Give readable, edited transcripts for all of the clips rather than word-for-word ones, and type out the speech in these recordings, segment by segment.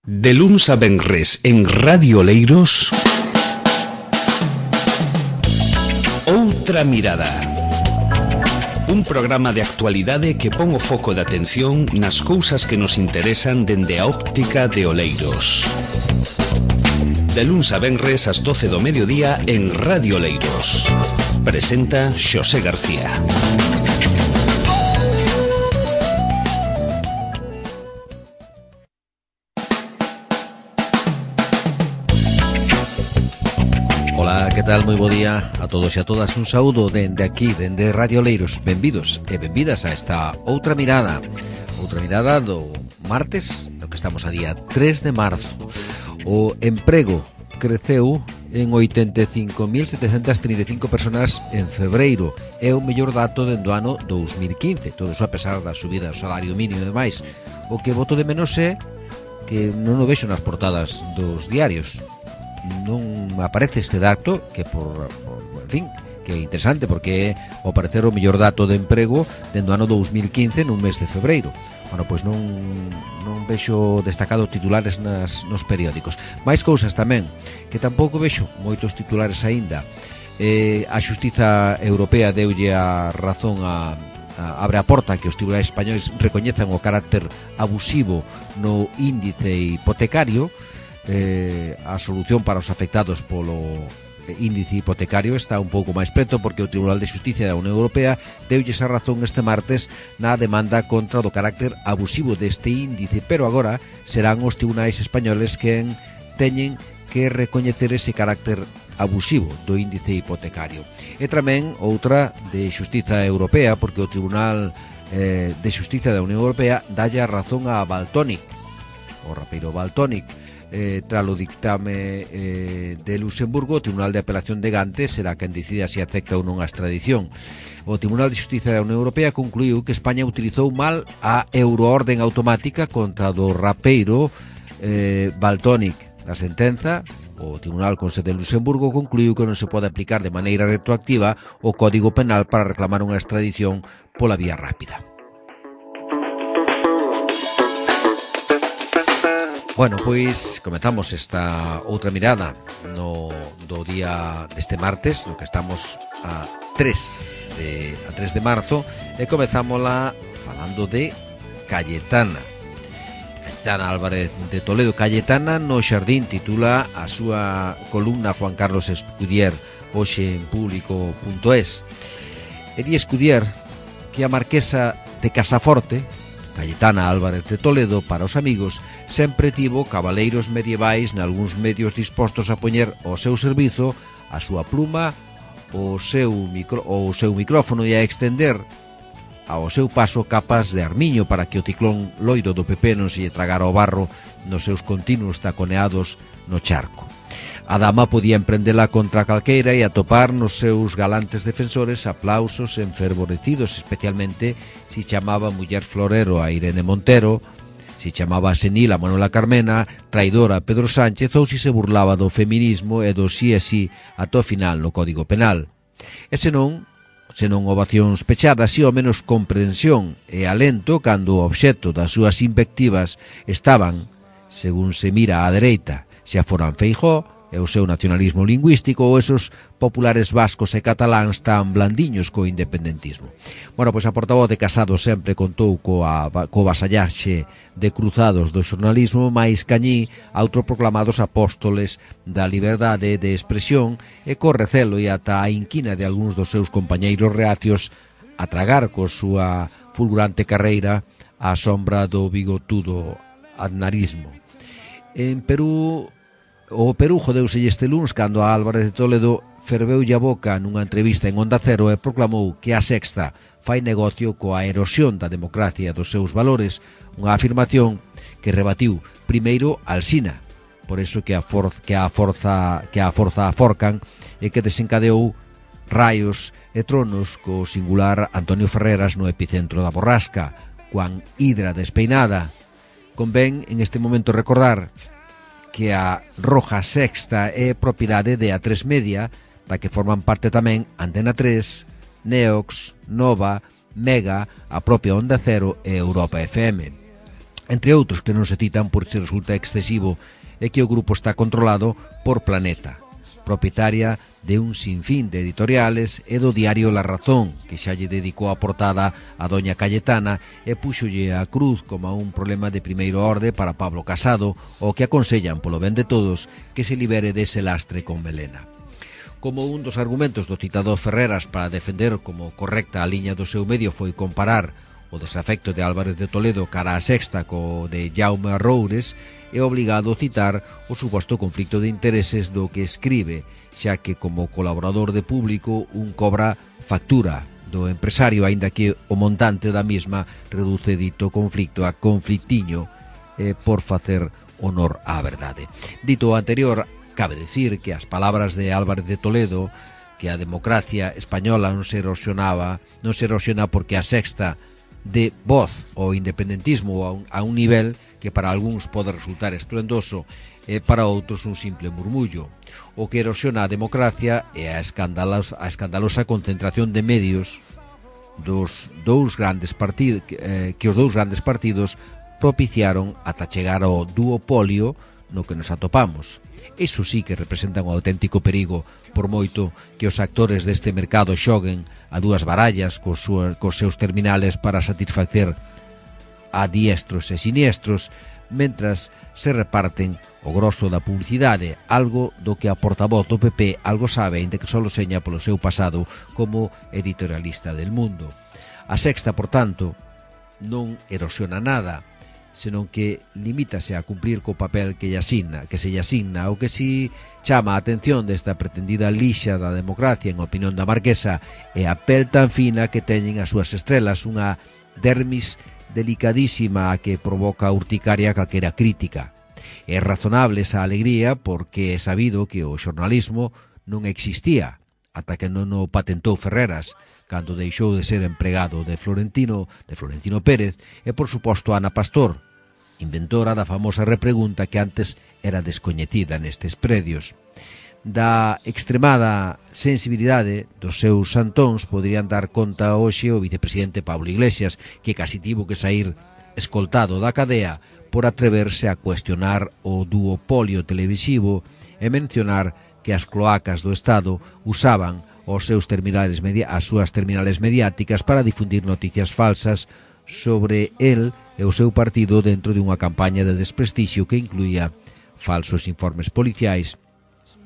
De luns a venres en Radio Oleiros, Outra Mirada. Un programa de actualidade que pon o foco de atención nas cousas que nos interesan dende a óptica de Oleiros. De luns a venres ás 12 do mediodía en Radio Oleiros. Presenta Xosé García. Ola, que tal? Moi bo día a todos e a todas. Un saúdo dende aquí, dende Radio Oleiros. Benvidos e benvidas a esta Outra Mirada. Outra Mirada do martes, no que estamos a día 3 de marzo. O emprego creceu en 85.735 personas en febreiro. É o mellor dato dende o ano 2015. Todo iso a pesar da subida do salario mínimo e demais. O que boto de menos é que non o vexo nas portadas dos diarios. Non aparece este dato que en fin, que é interesante porque ao parecer o mellor dato de emprego dende o ano 2015 nun mes de febreiro. Bueno, pois non vexo destacado titulares nos periódicos. Mais cousas tamén, que tampouco vexo moitos titulares aínda. A Xustiza Europea deulle a razón abre a porta que os tribunais españois recoñezan o carácter abusivo no índice hipotecario. A solución para os afectados polo índice hipotecario está un pouco máis preto porque o Tribunal de Xusticia da Unión Europea deulles a razón este martes na demanda contra do carácter abusivo deste índice, pero agora serán os tribunais españoles quen teñen que recoñecer ese carácter abusivo do índice hipotecario. E tamén outra de Xustiza Europea porque o Tribunal de Xusticia da Unión Europea dalle a razón a Valtonyc, o rapeiro Valtonyc. Tras o dictame de Luxemburgo, o Tribunal de Apelación de Gante será quen decida se acepta ou non a extradición. O Tribunal de Xustiza da Unión Europea concluiu que España utilizou mal a euroorden automática contra do rapeiro Valtonyc. A sentenza, o Tribunal con sede en Luxemburgo concluiu que non se pode aplicar de maneira retroactiva o Código Penal para reclamar unha extradición pola vía rápida. Bueno, pois comezamos esta outra mirada do día deste martes, no que estamos a 3 de marzo, e comezámola falando de Cayetana Álvarez de Toledo. Cayetana no Xardín titula a súa columna Juan Carlos Escudier hoxe en público.es. E di Escudier que a marquesa de Casaforte, Cayetana Álvarez de Toledo, para os amigos, sempre tivo cabaleiros medievais nalgúns medios dispostos a poñer ao seu servizo a súa pluma, o seu micrófono e a extender ao seu paso capas de armiño para que o ciclón loiro do PP non se lle tragara o barro nos seus continuos taconeados no charco. A dama podía emprendela contra calqueira e atopar nos seus galantes defensores aplausos enfervorecidos, especialmente si chamaba muller florero a Irene Montero, si chamaba senil a Manuela Carmena, traidora a Pedro Sánchez ou si se burlaba do feminismo e do sí e sí ata o final no Código Penal. E senón ovacións pechadas e ao menos comprensión e alento cando o obxecto das súas invectivas estaban, según se mira á dereita, xa foran Feijóo e o seu nacionalismo lingüístico ou esos populares vascos e cataláns tan blandiños co independentismo. Bueno, pois a portavoz de Casado sempre contou co vasallaxe de cruzados do xornalismo máis cañí autoproclamados apóstoles da liberdade de expresión e co recelo e ata a inquina de algúns dos seus compañeiros reacios a tragar co súa fulgurante carreira á sombra do bigotudo aznarismo. En Perú, o Perú jodeuse este luns cando a Álvarez de Toledo ferveulle a boca nunha entrevista en Onda Cero e proclamou que a Sexta fai negocio coa erosión da democracia e dos seus valores, unha afirmación que rebatiu primeiro Alsina, por iso que a forza aforcan e que desencadeou raios e tronos co singular Antonio Ferreras no epicentro da borrasca, coan hidra despeinada. Convén en este momento recordar que a Roja Sexta é propiedade de A3 Media, da que forman parte tamén Antena 3, Neox, Nova, Mega, a propia Onda Cero e Europa FM. Entre outros que non se citan por se resulta excesivo é que o grupo está controlado por Planeta, propietaria de un sinfín de editoriales e do diario La Razón, que xa lle dedicou a portada a doña Cayetana e púxolle a cruz como un problema de primeiro orde para Pablo Casado, o que aconsellan polo ben de todos que se libere dese lastre con melena. Como un dos argumentos do citado Ferreras para defender como correcta a liña do seu medio foi comparar o desafecto de Álvarez de Toledo cara a Sexta co de Jaume Roures, é obligado a citar o suposto conflicto de intereses do que escribe, xa que como colaborador de Público un cobra factura do empresario, aínda que o montante da mesma reduce dito conflicto a conflictiño por facer honor á verdade. Dito o anterior, cabe decir que as palabras de Álvarez de Toledo, que a democracia española non se erosiona porque a Sexta de voz ao independentismo a un nivel que para algúns pode resultar estruendoso e para outros un simple murmullo. O que erosiona a democracia é a escandalosa concentración de medios dos dous grandes partidos que os dous grandes partidos propiciaron ata chegar ao duopolio no que nos atopamos. Iso sí que representa un auténtico perigo, por moito que os actores deste mercado xoguen a dúas barallas cos seus terminales para satisfacer a diestros e siniestros, mentras se reparten o grosso da publicidade, algo do que a portavoz do PP algo sabe, aínda que só seña polo seu pasado como editorialista del Mundo. A Sexta, por tanto, non erosiona nada, senón que limítase a cumplir co papel que se lle asigna, o que si chama a atención desta pretendida lixa da democracia, en opinión da Marquesa, é a pel tan fina que teñen as súas estrelas, unha dermis delicadísima a que provoca urticaria calquera crítica. É razonable esa alegría porque é sabido que o xornalismo non existía ata que non o patentou Ferreras, cando deixou de ser empregado de Florentino Pérez, e por suposto Ana Pastor, inventora da famosa repregunta que antes era descoñecida nestes predios. Da extremada sensibilidade dos seus santóns poderían dar conta hoxe o vicepresidente Pablo Iglesias, que casi tivo que sair escoltado da cadea por atreverse a cuestionar o duopolio televisivo e mencionar que as cloacas do Estado usaban as súas terminales mediáticas para difundir noticias falsas sobre el e o seu partido dentro de unha campaña de desprestixio que incluía falsos informes policiais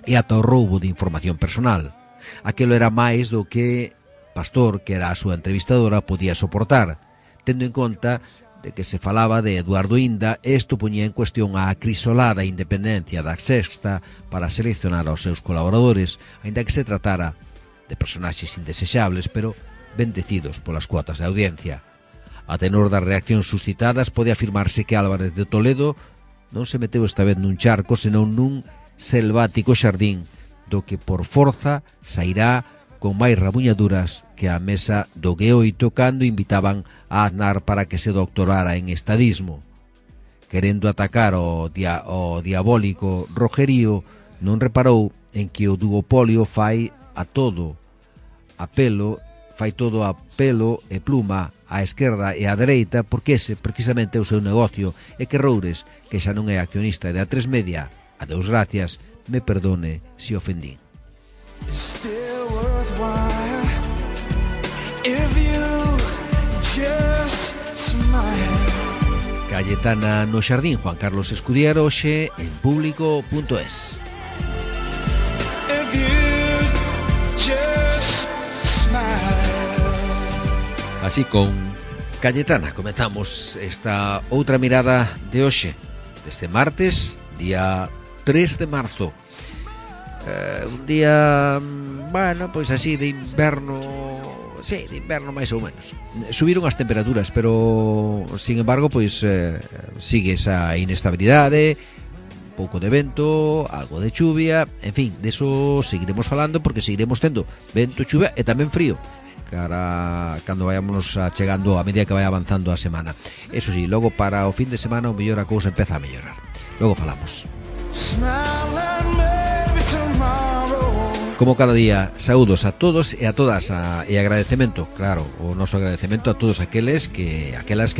e ata o roubo de información personal. Aquelo era máis do que Pastor, que era a súa entrevistadora, podía soportar, tendo en conta de que se falaba de Eduardo Inda, e isto poñía en cuestión a acrisolada independencia da Sexta para seleccionar aos seus colaboradores, aínda que se tratara de personaxes indesexables, pero bendecidos polas cuotas de audiencia. A tenor das reaccións suscitadas, pode afirmarse que Álvarez de Toledo non se meteu esta vez nun charco, senón nun selvático xardín, do que por forza sairá con máis rabuñaduras que a mesa do G8 cando invitaban a Aznar para que se doctorara en estadismo. Querendo atacar o diabólico Rogerío, non reparou en que o duopolio fai todo a pelo e pluma á esquerda e á dereita, porque ese precisamente é o seu negocio, e que Roures, que xa non é accionista de A3 Media, adeus gracias, me perdone se ofendín. Cayetana no xardín, Juan Carlos Escudier, hoxe en Público.es. Así con Cayetana comezamos esta outra mirada de hoxe, deste martes, día 3 de marzo. Un día, bueno, pois así de inverno, sí, de inverno máis ou menos. Subiron as temperaturas, pero, sin embargo, pois sigue esa inestabilidade, un pouco de vento, algo de chuvia, en fin, deso seguiremos falando porque seguiremos tendo vento, chuvia e tamén frío cara cando vayámonos chegando a medida que vai avanzando a semana. Eso sí, logo para o fin de semana o mellor a cousa empeza a mellorar. Logo falamos. Smile and maybe tomorrow Como cada día, saúdos a todos e a todas e agradecemento, claro, o noso agradecemento a todos aquelas que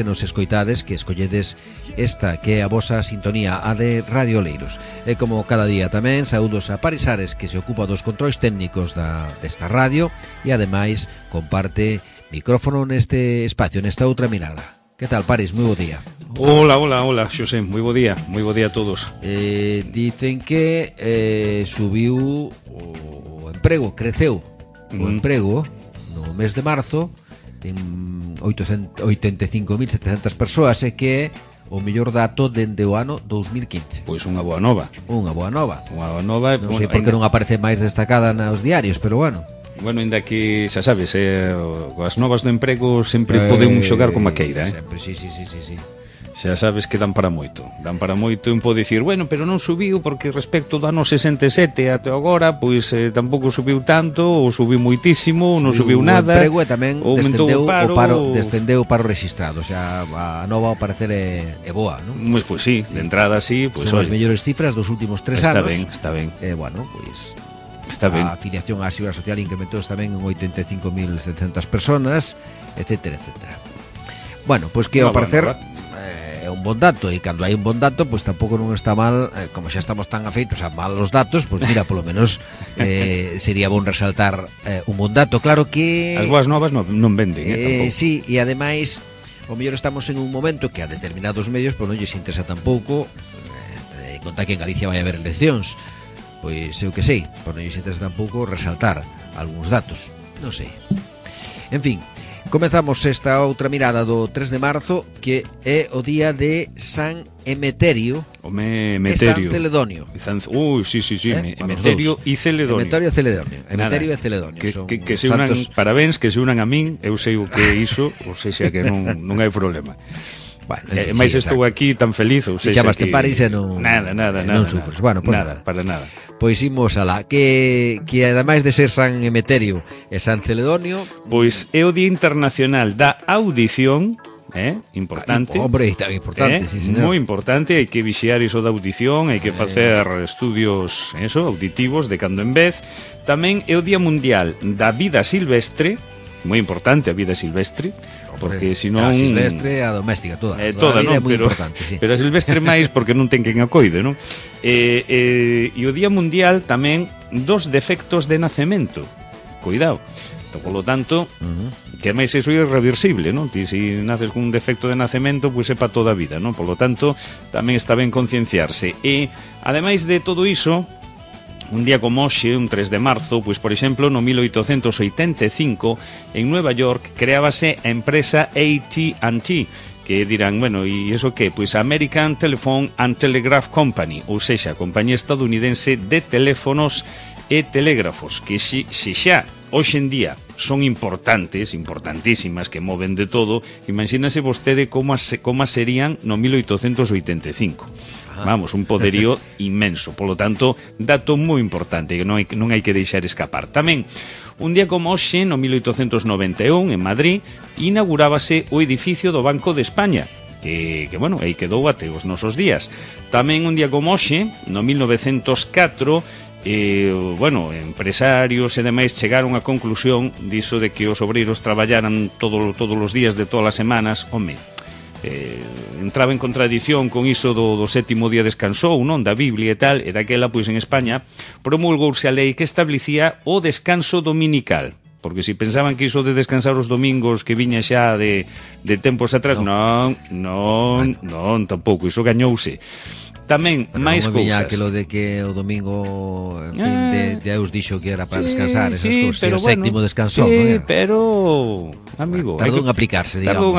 nos escoitades, que escolledes esta que é a vosa sintonía, a de Radio Oleiros. E como cada día tamén, saúdos a Paris Ares, que se ocupa dos controis técnicos desta radio e ademais comparte micrófono neste espacio, nesta outra mirada. Que tal, Paris? Moi bo día. Hola, Xosé, moi bo día a todos. Dicen que subiu o emprego, creceu o emprego no mes de marzo en 85.700 persoas, e que é o mellor dato dende o ano 2015. Pois unha boa nova. Unha boa nova. Non sei bueno, por que non aparece máis destacada nos diarios, pero bueno. Bueno, ainda que, xa sabes, as novas do emprego sempre poden xogar como a queira, Sempre, sí. Xa sabes que dan para moito. Un pode dicir, bueno, pero non subiu porque respecto do ano 67 até agora, pois tampouco subiu tanto, ou subiu moitísimo, ou non subiu nada. O emprego e tamén descendeu o paro rexistrado, xa a nova ao parecer é boa, non? Pois sí, de entrada sí, pois son as mellores cifras dos últimos 3 anos. Está ben. Bueno, pois está ben. A afiliación á Seguridade Social incrementou tamén en 85.700 personas, etcétera. Bueno, pois que ao parecer é un bon dato, e cando hai un bon dato, pois tampouco non está mal, como xa estamos tan afeitos a malos datos, pois mira, polo menos sería bon resaltar un bon dato. Claro que as boas novas non venden, tampouco. Sí, e ademais o mellor estamos en un momento que a determinados medios pois non lles interesa tampouco contar que en Galicia vai haber eleccións. Pois eu que sei, por non lles interesa tampouco resaltar algúns datos, non sei. En fin, comezamos esta outra mirada do 3 de marzo, que é o día de San Emeterio e San Celedonio. Sí, Emeterio e Celedonio. Emeterio e Celedonio. Que se unan, parabéns, que se unan a min, eu sei o que é iso, ou seja que non hai problema. Bueno, mais estou aquí tan feliz, ou seja, chamaste Paris e non non sufres. Bueno, pues nada, para nada. Pois imos alá, que ademais de ser San Emeterio e San Celedonio, pois é o Día Internacional da Audición, importante. Hombre, tan importante, sí, señor. Moi importante, hai que vixiar iso da audición, hai que facer estudios auditivos de cando en vez. Tamén é o Día Mundial da Vida Silvestre, moi importante a vida silvestre, porque senón a silvestre, a doméstica, toda a vida non, é moi importante, sí. Pero a silvestre máis porque non ten quen a coide, non? E o Día Mundial tamén dos defectos de nacemento. Cuidado. Polo tanto, que máis iso é irreversible, non? Ti se naces con un defecto de nacemento, pois é para toda a vida, non? Polo tanto, tamén está ben concienciarse. E ademais de todo iso, un día como hoxe, un 3 de marzo, pois por exemplo, no 1885, en Nueva York, creábase a empresa AT&T, que dirán, bueno, e iso que? Pois American Telephone and Telegraph Company, ou sexa, a compañía estadounidense de teléfonos e telégrafos, que se xa hoxe en día son importantísimas, que moven de todo, imagínase vostede como serían no 1885. Vamos, un poderío inmenso. Polo tanto, dato moi importante que non hai que deixar escapar. Tamén, un día como hoxe, no 1891, en Madrid, inaugurábase o edificio do Banco de España, que bueno, aí quedou até os nosos días. Tamén un día como hoxe, no 1904, empresarios e demais chegaron á conclusión diso de que os obreiros traballaran todos os días de todas as semanas. Home, entraba en contradición con iso do sétimo día descansou, non? Da Biblia e tal, e daquela, pois en España promulgouse a lei que establecía o descanso dominical, porque se pensaban que iso de descansar os domingos que viña xa de tempos atrás, non, tampouco, iso gañouse. Tamén máis cousas. Aquilo de que o domingo, en fin, Deus dixo que era para descansar, esas cousas, pero o sétimo descansou, non? Pero, amigo, tardou en aplicarse, digamos.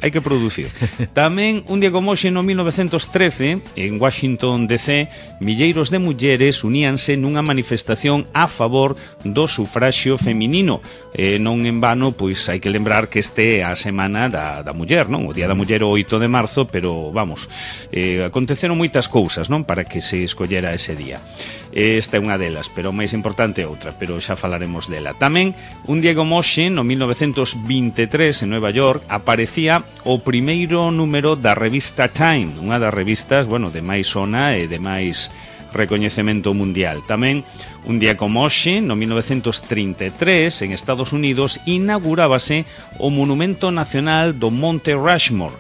Hai que producir. Tamén, un día como hoxe, no 1913, en Washington DC, milleiros de mulleres uníanse nunha manifestación a favor do sufraxio feminino. Non en vano, pois hai que lembrar que este é a semana da muller, non? O Día da Muller o 8 de marzo, pero, vamos, aconteceron moitas cousas, non? Para que se escollera ese día. Esta é unha delas, pero o máis importante é outra, pero xa falaremos dela. Tamén, un día como hoxe, no 1923, en Nueva York, aparecía o primeiro número da revista Time, unha das revistas, bueno, de máis sona e de máis recoñecemento mundial. Tamén, un día como hoxe, no 1933, en Estados Unidos, inaugurábase o Monumento Nacional do Monte Rushmore,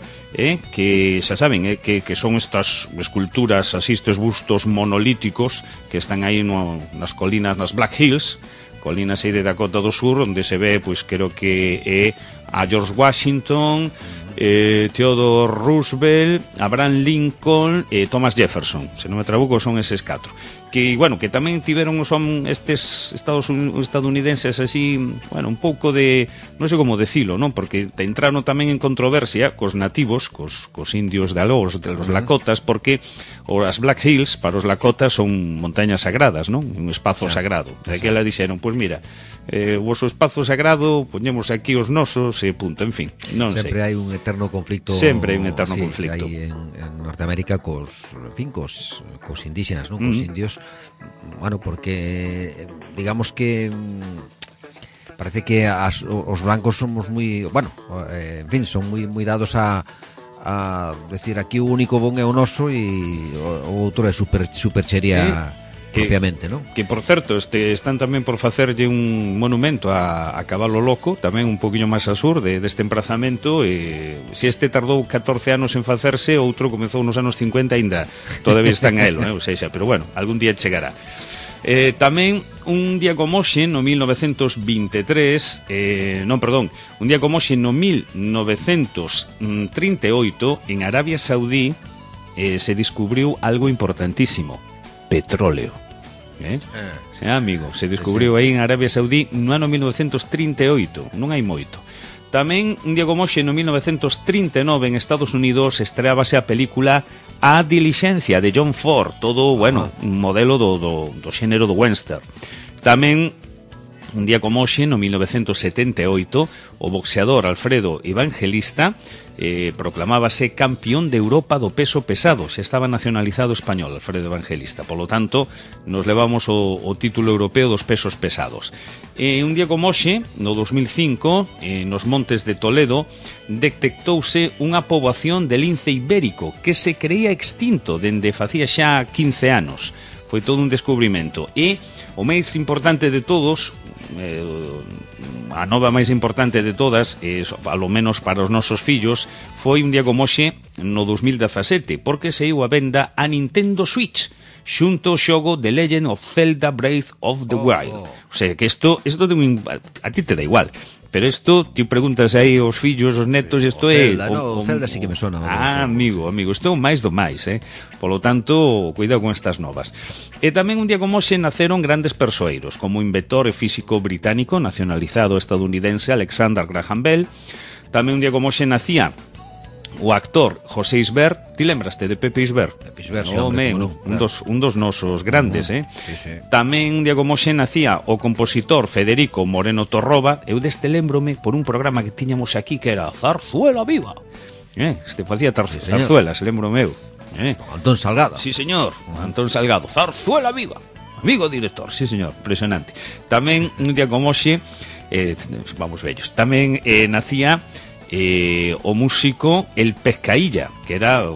que xa saben, que son estas esculturas, así, estes bustos monolíticos que están aí nas colinas, nas Black Hills, colinas aí de Dakota do Sur, onde se ve, pois, creo que é a George Washington, Theodore Roosevelt, Abraham Lincoln e Thomas Jefferson, se non me trabuco son eses 4, que, bueno, que tamén tiveron son estes estadounidenses así, bueno, un pouco de, non sei como decilo, non? Porque entraron tamén en controversia cos nativos, cos indios de aló, de los Lakotas, porque as Black Hills para os Lakotas son montañas sagradas, non? Un espazo sagrado. E que ela dixeron, pois mira, o vosso espazo sagrado, poñemos aquí os nosos e punto, en fin, non sei. Sempre hai un eterno conflicto. Sempre hai un eterno conflicto. Hai en Norteamérica cos indígenas, non? Cos indios. Bueno, porque digamos que parece que os blancos somos moi, bueno, en fin, son moi dados a decir aquí o único bon é o noso e o outro é super cheria propiamente, non? Que, por certo, están tamén por facerlle un monumento a Cabalo Loco, tamén un poquinho máis a sur deste emprazamento, e se este tardou 14 anos en facerse, outro comezou nos anos 50 ainda todavía están a elo, ou seja, pero bueno, algún día chegará. Tamén un día como hoxe no 1923 un día como hoxe no 1938 en Arabia Saudí se descubriu algo importantísimo: petróleo. Sí, amigo, se descubriu aí en Arabia Saudí no ano 1938, non hai moito. Tamén, un día como hoxe, no 1939, en Estados Unidos, estreábase a película A Diligencia, de John Ford, todo, bueno, un modelo do xénero do western. Tamén, un día como hoxe, no 1978, o boxeador Alfredo Evangelista proclamábase campeón de Europa do peso pesado. Xa estaba nacionalizado español Alfredo Evangelista, polo tanto nos levamos o título europeo dos pesos pesados. Un día como hoxe, no 2005, nos montes de Toledo, detectouse unha poboación de lince ibérico que se creía extinto dende facía xa 15 anos. Foi todo un descubrimento. E o máis importante de todos, a nova máis importante de todas, alo menos para os nosos fillos, foi un día como hoxe no 2017, porque saiu a venda a Nintendo Switch xunto ao xogo The Legend of Zelda Breath of the Wild. O sea, que isto a ti te dá igual, pero isto, ti preguntas aí aos fillos, aos netos, isto é... O Zelda sí que me sona. Amigo, isto é o máis do máis, Polo tanto, cuidado con estas novas. E tamén un día como hoxe naceron grandes persoeiros, como o inventor e físico británico nacionalizado estadounidense Alexander Graham Bell. Tamén un día como hoxe nacía o actor José Isbert. Ti lembraste de Pepe Isbert? Pepe Isbert, un dos nosos grandes, Sí. Tamén un día como hoxe nacía o compositor Federico Moreno Torroba. Eu deste lembrome por un programa que tiñamos aquí que era Zarzuela Viva. Este facía zarzuelas, lembrome eu. Antón Salgado. Sí, señor, Antón Salgado. Zarzuela Viva. Amigo director, sí, señor, impresionante. Tamén un día como hoxe, vamos vellos, tamén nacía o músico El Pescailla, que era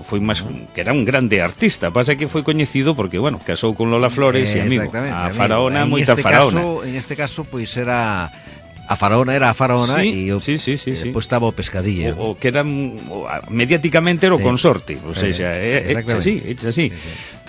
un grande artista. Pasa que foi coñecido porque, bueno, casou con Lola Flores e, amigo, a faraona, moita faraona. En este caso, pois era... A faraona era a faraona, sí, e despois estaba o pescadilla. O que era mediáticamente era o consorte, ou seja, hecha así.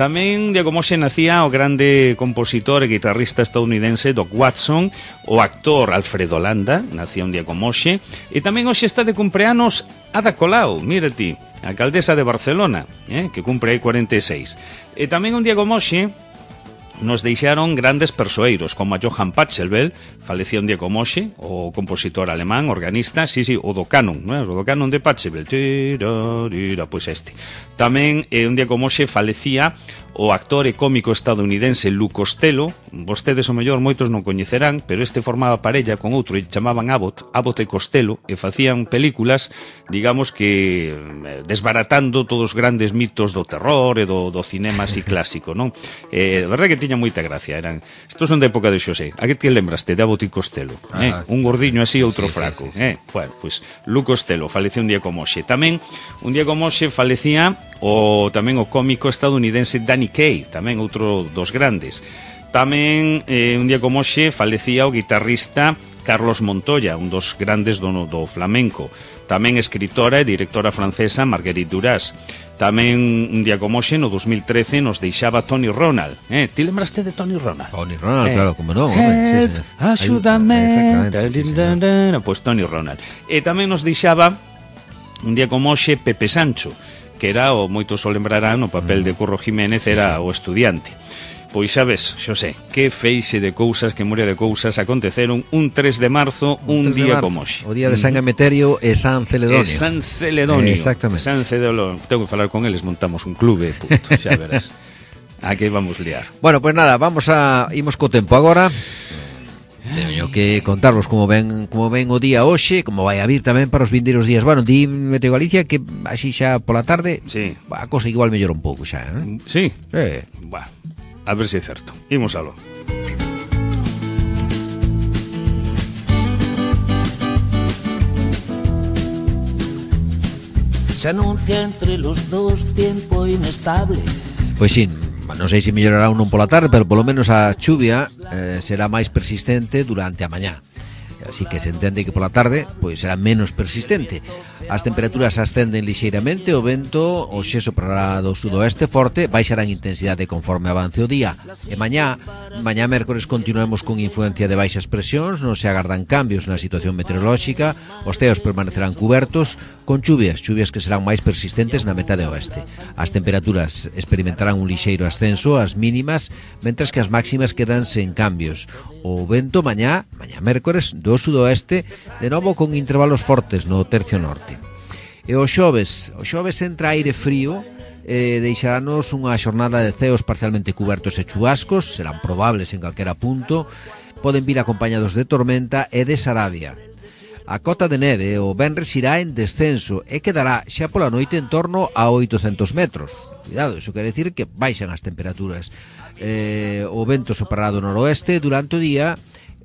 Tamén, de como se nacía o grande compositor e guitarrista estadounidense Doc Watson, o actor Alfredo Landa, nacía un día como hoxe, e tamén hoxe está de cumpleanos Ada Colau, mira ti, a alcaldesa de Barcelona, que cumpre aí 46. E tamén un día como hoxe nos deixaron grandes persoeiros, como a Johann Pachelbel, falecía un día como hoxe, o compositor alemán, organista, o do canon, o do canon de Pachelbel, pois este. Tamén, un día como hoxe, falecía o actor e cómico estadounidense Lou Costello. Vostedes, o mellor, moitos non coñecerán, pero este formaba parella con outro e chamaban Abbott e Costello, e facían películas, digamos que desbaratando todos os grandes mitos do terror e do cinema así clásico, non? De verdade que tiña moita gracia. Estos son da época de Xosé. A que te lembraste de Aboti Costello? Un gordiño así, outro fraco. Bueno, pois Lu Costello falecía un día como hoxe. Tamén, un día como hoxe falecía tamén o cómico estadounidense Danny Kaye, tamén outro dos grandes. Tamén, un día como hoxe, falecía o guitarrista Carlos Montoya, un dos grandes do flamenco. Tamén escritora e directora francesa Marguerite Duras. Tamén un día como hoxe, no 2013, nos deixaba Tony Ronald. Ti lembraste de Tony Ronald? Tony Ronald, claro, como non. Axúdame. Pois Tony Ronald. E tamén nos deixaba un día como hoxe Pepe Sancho, que era, o moitos o lembrarán, o papel de Curro Jiménez, era o estudiante. Pois xa ves, Xosé, que feixe de cousas, que moria de cousas aconteceron un 3 de marzo, un día como hoxe. O día de San Emeterio e San Celedonio. San Celedonio. Exactamente. San Celedonio. Tengo que falar con eles, montamos un clube, punto, xa verás. Aquí vamos liar. Bueno, pues nada, imos co tempo agora. Teño que contarvos como ven o día hoxe, como vai a vir tamén para os vindeiros días. Bueno, di Meteo Galicia que así xa pola tarde, sí, a cosa igual mellora un pouco xa, Sí? Bueno, a ver se é certo. Imos aló. Se anuncia entre los dos tiempo inestable. Pois sí, non sei se mellorará ou non pola tarde, pero polo menos a chuvia será máis persistente durante a mañá. Así que se entende que pola tarde pois será menos persistente. As temperaturas ascenden lixeiramente, o vento hoxe soprará do sudoeste forte, baixará en intensidade conforme avance o día. E mañá mércores continuemos con influencia de baixas presións, non se agardan cambios na situación meteorolóxica, os ceos permanecerán cubertos con chuvias que serán máis persistentes na metade oeste. As temperaturas experimentarán un lixeiro ascenso ás mínimas, mentres que as máximas quedan sen cambios. O vento mañá mércores do sudoeste, de novo con intervalos fortes no tercio norte. E o xoves entra aire frío, deixaranos unha xornada de ceos parcialmente cubertos e chubascos, serán probables en calquera punto, poden vir acompañados de tormenta e de sarabia. A cota de neve o venres irá en descenso e quedará xa pola noite en torno a 800 metros. Cuidado, iso quere decir que baixan as temperaturas. O vento soprará do noroeste durante o día,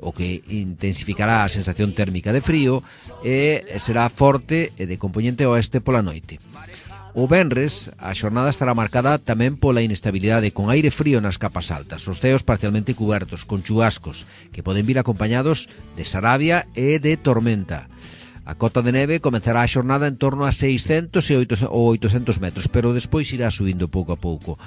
o que intensificará a sensación térmica de frío e será forte e de compoñente oeste pola noite. O venres, a xornada estará marcada tamén pola inestabilidade con aire frío nas capas altas, os ceos parcialmente cubertos, con chubascos, que poden vir acompañados de sarabia e de tormenta. A cota de neve comenzará a xornada en torno a 600 ou 800 metros, pero despois irá subindo pouco a pouco.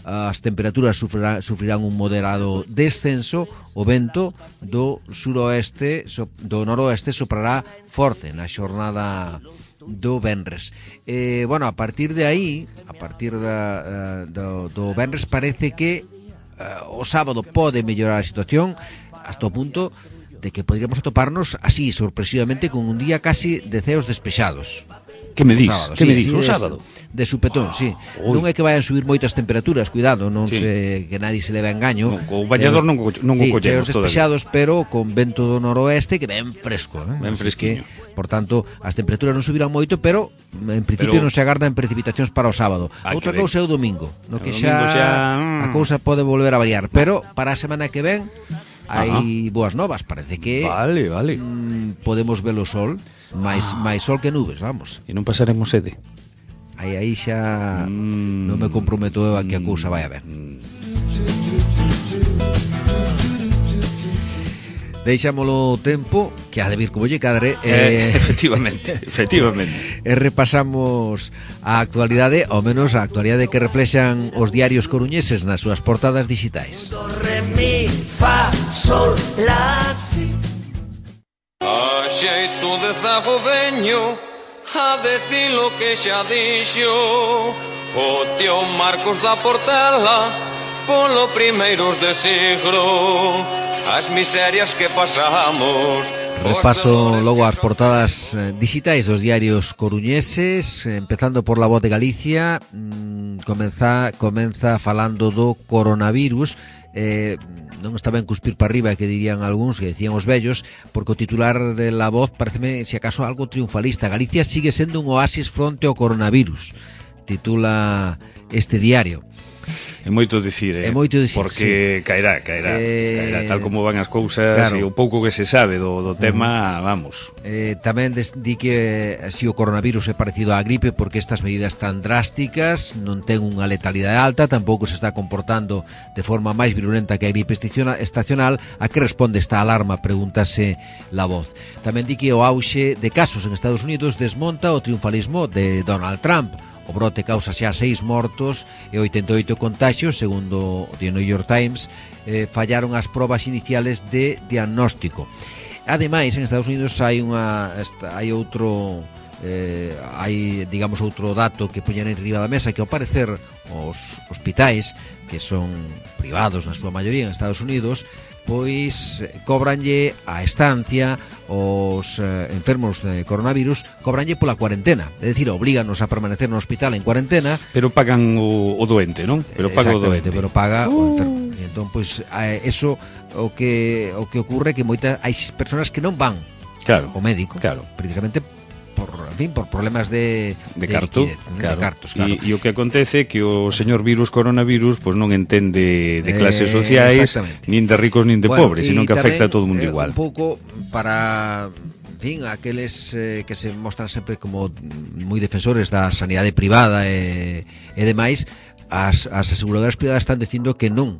As temperaturas sufrirán un moderado descenso, o vento do suroeste, do noroeste soprará forte na xornada do venres. Bueno, a partir de aí, do venres parece que o sábado pode mellorar a situación hasta o punto de que podríamos atoparnos así sorpresivamente con un día casi de ceos despexados. Que me dís? O sábado? De supetón, sí. Non é que vayan subir moitas temperaturas, cuidado, non se que nadie se leve a engaño. O bañador non o collemos despexados, pero con vento do noroeste que ben fresco, ben fresquiño. Por tanto, as temperaturas non subirán moito, pero en principio non se agardan precipitacións para o sábado. Outra cousa é o domingo, no que xa a cousa pode volver a variar, pero para a semana que ven hai boas novas, parece que vale. Podemos ver o sol, máis sol que nubes, vamos. E non pasaremos sede. Aí xa non me comprometo eu a que a cousa vai a ver. Deixámolo tempo, que ha de vir como lle cadre. Efectivamente. E repasamos a actualidade, ao menos a actualidade que reflexan os diarios coruñeses nas súas portadas digitais. Do, re, mi, fa, sol, la, si. A xeito de zagodeño, a decir lo que xa dixo o tío Marcos da Portela polo primeiros de siglo, as miserias que pasamos. Repaso logo as portadas digitais dos diarios coruñeses, empezando por La Voz de Galicia. Comeza falando do coronavirus. Non está ben cuspir para arriba, que dirían algúns, que decían os vellos, porque o titular de La Voz pareceme, se acaso, algo triunfalista. Galicia sigue sendo un oasis fronte ao coronavirus, titula este diario. É moito dicir, porque sí. caerá, tal como van as cousas, claro. E o pouco que se sabe do tema, vamos. Tamén di que si o coronavirus é parecido á gripe porque estas medidas tan drásticas non ten unha letalidade alta, tampouco se está comportando de forma máis virulenta que a gripe estacional. A que responde esta alarma? Pregúntase La Voz. Tamén di que o auxe de casos en Estados Unidos desmonta o triunfalismo de Donald Trump. O brote causa xa 6 mortos e 88 contaxios, segundo o The New York Times. Fallaron as probas iniciales de diagnóstico. Ademais, en Estados Unidos hai outro outro dato que poñen enriba da mesa, que ao parecer os hospitais, que son privados na súa maioría en Estados Unidos, pois cobranlle a estancia os enfermos de coronavirus, cobranlle pola cuarentena, é dicir, oblíganos a permanecer no hospital en cuarentena, pero pagan o doente, non? Pero paga o doente, pero paga o enfermo. E entón, pois, eso o que ocurre que hai persoas que non van ao médico, precisamente por problemas de carto, liquidez, claro. De cartos, claro. E o que acontece é que o señor coronavirus pois non entende de clases sociais, nin de ricos nin de pobres, sino que afecta a todo o mundo igual. Un pouco para aqueles que se mostran sempre como moi defensores da sanidade privada e demais, as aseguradoras privadas están dicindo que non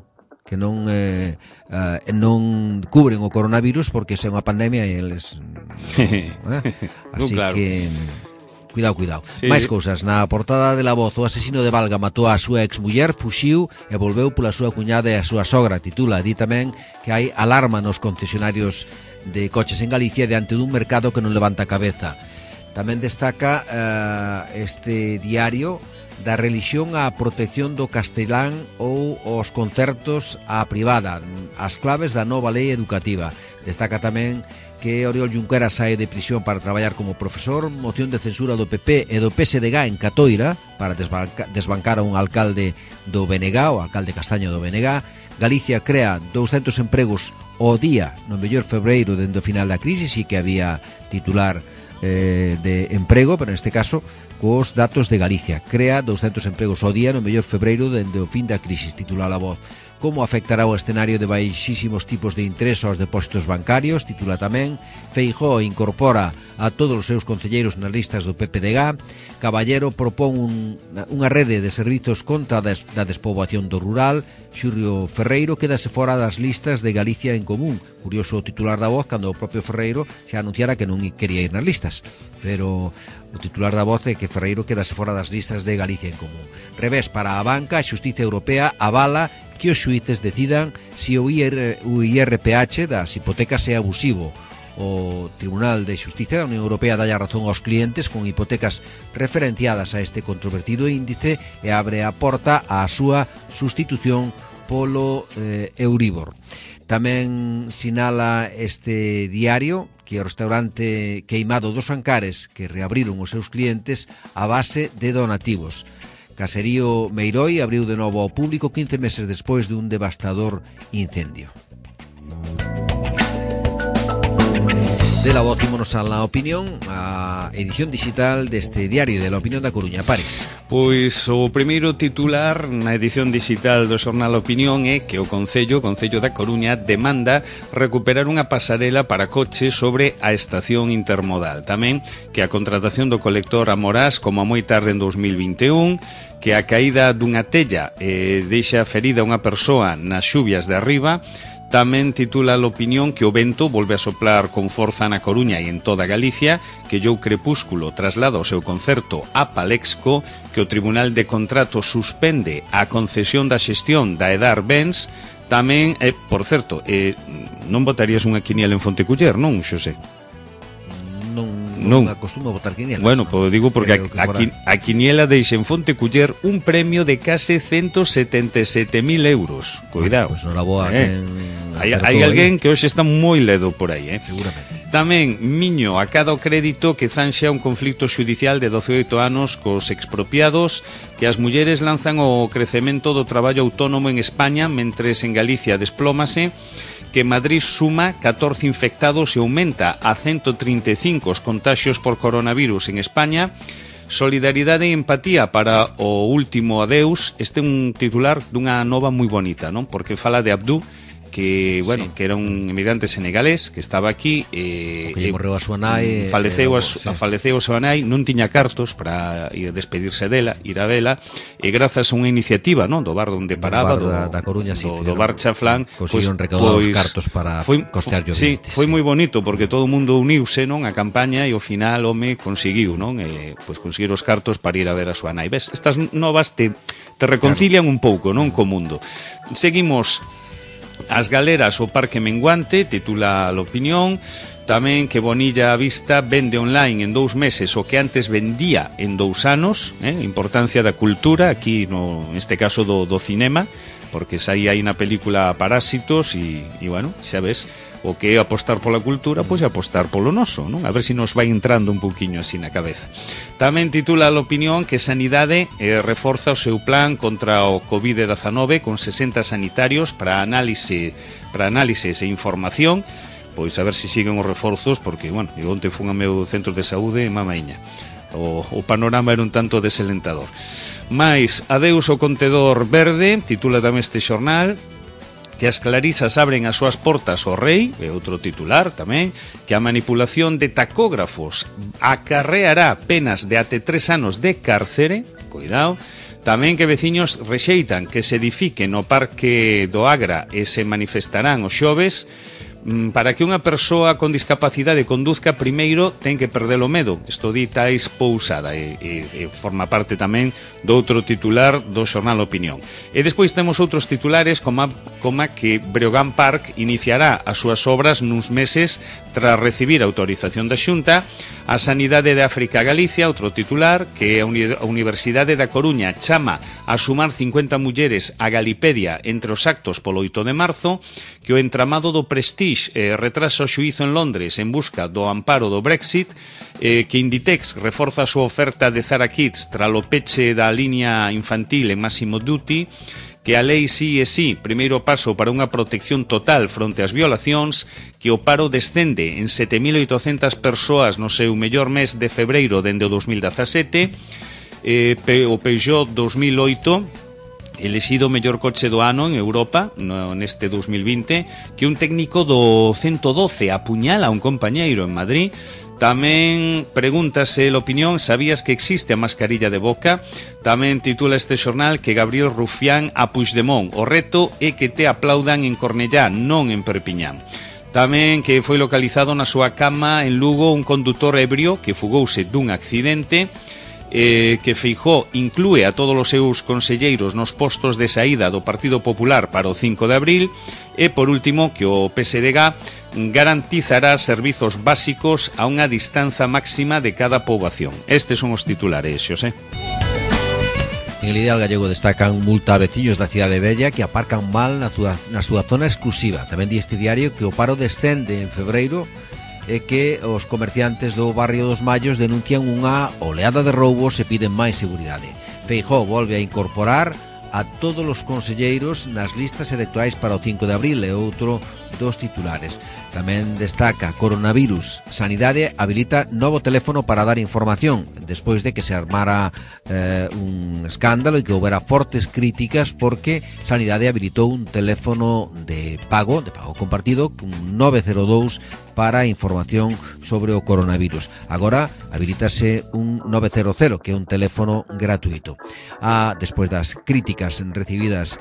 cubren o coronavirus porque é unha pandemia e eles así claro. Que cuidado. Sí. Mais cousas. Na portada de La Voz, o asesino de Valga matou a súa exmuller, fuxiu e volveu pola súa cuñada e a súa sogra. Titula. Di tamén que hai alarma nos concesionarios de coches en Galicia diante dun mercado que non levanta cabeza. Tamén destaca este diario da religión á protección do castelán ou os concertos á privada, as claves da nova lei educativa. Destaca tamén que Oriol Junqueras sae de prisión para traballar como profesor, moción de censura do PP e do PSDG en Catoira para desbancar a un alcalde do BNG, o alcalde Castaño do BNG. Galicia crea 200 empregos ao día no mellor febreiro dende o final da crisis, e que había titular de emprego, pero neste caso cos datos de Galicia. Crea 200 empregos ao día no mellor febreiro dende o fin da crisis, titula La Voz. Como afectará o escenario de baixísimos tipos de interés aos depósitos bancarios, titula tamén. Feijóo incorpora a todos os seus concelleiros nas listas do PPDG. Caballero propón unha rede de servizos contra da despoboación do rural. Xurrio Ferreiro quedase fora das listas de Galicia en Común. Curioso o titular da Voz cando o propio Ferreiro xa anunciara que non quería ir nas listas, pero o titular da Voz é que Ferreiro quedase fora das listas de Galicia en Común. Revés para a banca. A Xustiza Europea avala que os xuíces decidan se o IRPH das hipotecas é abusivo. O Tribunal de Xustiza da Unión Europea dá a razón aos clientes con hipotecas referenciadas a este controvertido índice e abre a porta á súa sustitución polo Euribor. Tamén sinala este diario que o restaurante Queimado dos Ancares, que reabriron os seus clientes a base de donativos. Caserío Meiroi abriu de novo ao público 15 meses despois de un devastador incendio. De La Voz, ímonos a La Opinión, a edición digital deste diario de La Opinión da Coruña. Paris. Pois o primeiro titular na edición digital do xornal Opinión é que o Concello da Coruña demanda recuperar unha pasarela para coches sobre a estación intermodal. Tamén que a contratación do colector Amorás como a moi tarde en 2021, que a caída dunha tella deixa ferida unha persoa nas xuvias de arriba. Tamén titula a Opinión que o vento volve a soplar con forza na Coruña e en toda Galicia, que Jou Crepúsculo traslada o seu concerto a Palexco, que o Tribunal de Contrato suspende a concesión da xestión da Edar Bens. Tamén, por certo, non votarías unha quiniela en Fonteculler, non, Xosé? Non acostumo a votar quinielas. Bueno, pois digo porque a quiniela deixa en Fonteculler un premio de case 177.000 euros. Cuidado. Pois non la boa hai alguén que hoxe está moi ledo por aí, Seguramente. Tamén Miño acada o crédito que zanxa un conflicto xudicial de 18 anos cos expropiados, que as mulleres lanzan o crecemento do traballo autónomo en España, mentres en Galicia desplómase, que Madrid suma 14 infectados e aumenta a 135 os contaxios por coronavirus en España. Solidaridade e empatía para o último adeus. Este é un titular dunha nova moi bonita, non? Porque fala de Abdou, que, bueno, que era un emigrante senegalés que estaba aquí que morreu a súa nai, faleceu a súa nai, non tiña cartos para ir despedirse dela, ir a vela, e grazas a unha iniciativa, non, do bar onde paraba, da Coruña, do bar Chaflán, conseguiron recaudar os cartos para costear os sí, foi moi bonito porque todo o mundo uniuse, non, a campaña, e ao final home conseguiu, non, pois conseguir os cartos para ir a ver a súa nai. Ves, estas novas te reconcilian un pouco, non, co mundo. Seguimos. As galeras o Parque Menguante, titula l'Opinión. Tamén que Bonilla a Vista vende online en 2 meses o que antes vendía en 2 anos. Importancia da cultura, aquí neste caso do cinema, porque aí hai na película Parásitos e bueno, xa ves, o que é apostar pola cultura, pois apostar polo noso, non? A ver se nos vai entrando un pouquiño así na cabeza. Tamén titula l'Opinión que Sanidade reforza o seu plan contra o COVID-19 con 60 sanitarios para análises e información. Pois a ver se siguen os reforzos, porque, bueno, eu onte fun ao meu centro de saúde e mamaíña. O panorama era un tanto desalentador. Mais, adeus ao contedor verde, titula tamén este xornal, que as clarisas abren as súas portas ao rei, é outro titular tamén, que a manipulación de tacógrafos acarreará penas de até 3 anos de cárcere, cuidado. Tamén que veciños rexeitan que se edifique no Parque do Agra e se manifestarán os xoves. Para que unha persoa con discapacidade conduzca, primeiro ten que perder o medo. Isto di Tais Pousada e forma parte tamén do outro titular do xornal Opinión. E despois temos outros titulares como que Breogán Park iniciará as súas obras nuns meses tras recibir a autorización da Xunta. A Sanidade de África Galicia, outro titular, que a Universidade da Coruña chama a sumar 50 mulleres a Galipedia entre os actos polo 8 de marzo, que o entramado do Prestige retrasa o xuízo en Londres en busca do amparo do Brexit, que Inditex reforza a súa oferta de Zara Kids tralo peche da liña infantil en Máximo Duty, que a lei sí e sí, primeiro paso para unha protección total fronte ás violacións, que o paro descende en 7.800 persoas no seu mellor mes de febreiro dende o 2017, o Peugeot 2008, elexido o mellor coche do ano en Europa neste 2020, que un técnico do 112 apuñala a un compañeiro en Madrid. Tamén pregúntase l'Opinión, sabías que existe a mascarilla de boca? Tamén titula este xornal que Gabriel Rufián a Puigdemont. O reto é que te aplaudan en Cornellá, non en Perpiñán. Tamén que foi localizado na súa cama en Lugo un condutor ebrio que fugouse dun accidente, que Feijóo inclúe a todos os seus conselleiros nos postos de saída do Partido Popular para o 5 de abril. E, por último, que o PSDG garantizará servizos básicos a unha distanza máxima de cada poboación. Estes son os titulares, Xosé. En el Ideal Gallego destacan multa a veciños da cidade vella que aparcan mal na súa zona exclusiva. Tamén di este diario que o paro descende en febreiro e que os comerciantes do barrio dos Mallos denuncian unha oleada de roubos e piden máis seguridade. Feijóo volve a incorporar a todos os conselleiros nas listas electorais para o 5 de abril, e outro dos titulares. Tamén destaca coronavirus. Sanidade habilita novo teléfono para dar información despois de que se armara un escándalo e que houbera fortes críticas porque Sanidade habilitou un teléfono de pago compartido, un 902 para información sobre o coronavirus. Agora habilitase un 900, que é un teléfono gratuito. Despois das críticas recibidas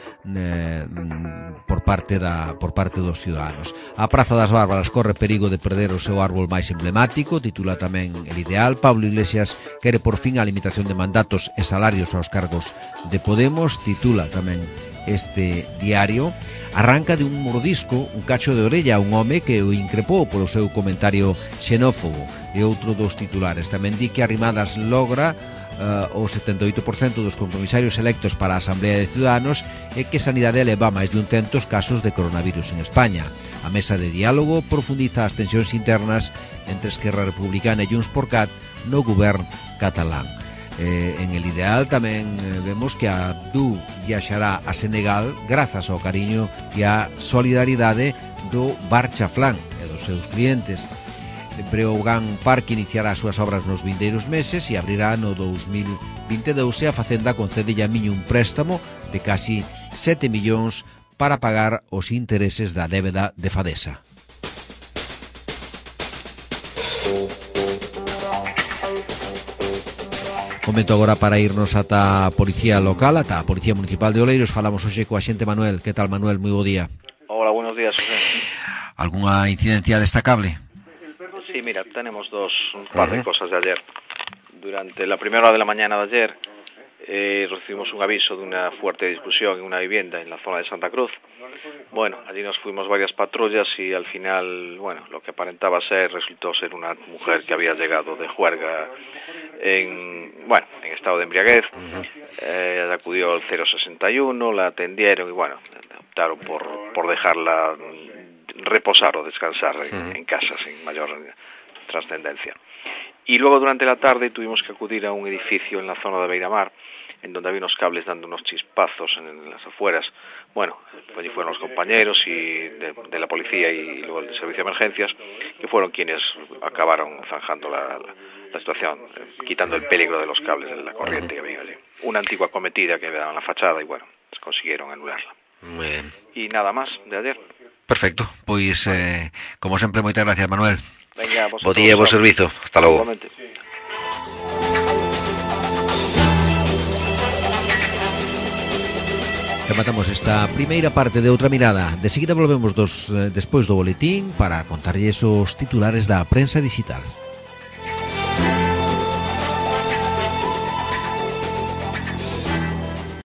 por parte dos ciudadanos. A Praza das Bárbaras corre perigo de perder o seu árbol máis emblemático, titula tamén El Ideal. Pablo Iglesias quere por fin a limitación de mandatos e salarios aos cargos de Podemos, titula tamén este diario. Arranca de un mordisco un cacho de orella a un home que o increpou polo seu comentario xenófobo, e outro dos titulares. Tamén di que Arrimadas logra o 78% dos compromisarios electos para a Asamblea de Ciudadanos e que Sanidade eleva máis de 100 casos de coronavirus en España. A mesa de diálogo profundiza as tensións internas entre Esquerra Republicana e Junts por Cat no govern catalán. En El Ideal tamén vemos que a Abdou viaxará a Senegal grazas ao cariño e á solidaridade do Bar Chaflán e dos seus clientes. Breogán Parque iniciará as súas obras nos vindeiros meses e abrirá no 2022 e a Facenda concedelle a Miño un préstamo de casi 7 millóns para pagar os intereses da débeda de Fadesa. Momento agora para irnos ata a Policía Local, ata a Policía Municipal de Oleiros. Falamos hoxe coa xente Manuel. Que tal, Manuel? Moi bo día. Hola, buenos días, José. Alguna incidencia destacable? Sí, mira, tenemos un par de cosas de ayer. Durante la primera hora de la mañana de ayer recibimos un aviso de una fuerte discusión en una vivienda en la zona de Santa Cruz. Bueno, allí nos fuimos varias patrullas y al final, bueno, lo que aparentaba resultó ser una mujer que había llegado de juerga en estado de embriaguez. Acudió al 061, la atendieron y bueno, optaron por dejarla reposar o descansar en casa sin mayor trascendencia. Y luego durante la tarde tuvimos que acudir a un edificio en la zona de Beiramar, en donde había unos cables dando unos chispazos en las afueras. Bueno, allí fueron los compañeros y de la policía y luego el servicio de emergencias, que fueron quienes acabaron zanjando la situación, quitando el peligro de los cables de la corriente que había allí. Una antigua cometida que daba en la fachada y bueno, consiguieron anularla. Bien. Y nada más de ayer. Perfecto, pois como sempre moitas gracias, Manuel. Venga, Bo día e bo servizo. Hasta logo. Igualmente. Rematamos esta primeira parte de Outra Mirada. De seguida volvemos despois do boletín para contarlles os titulares da prensa digital.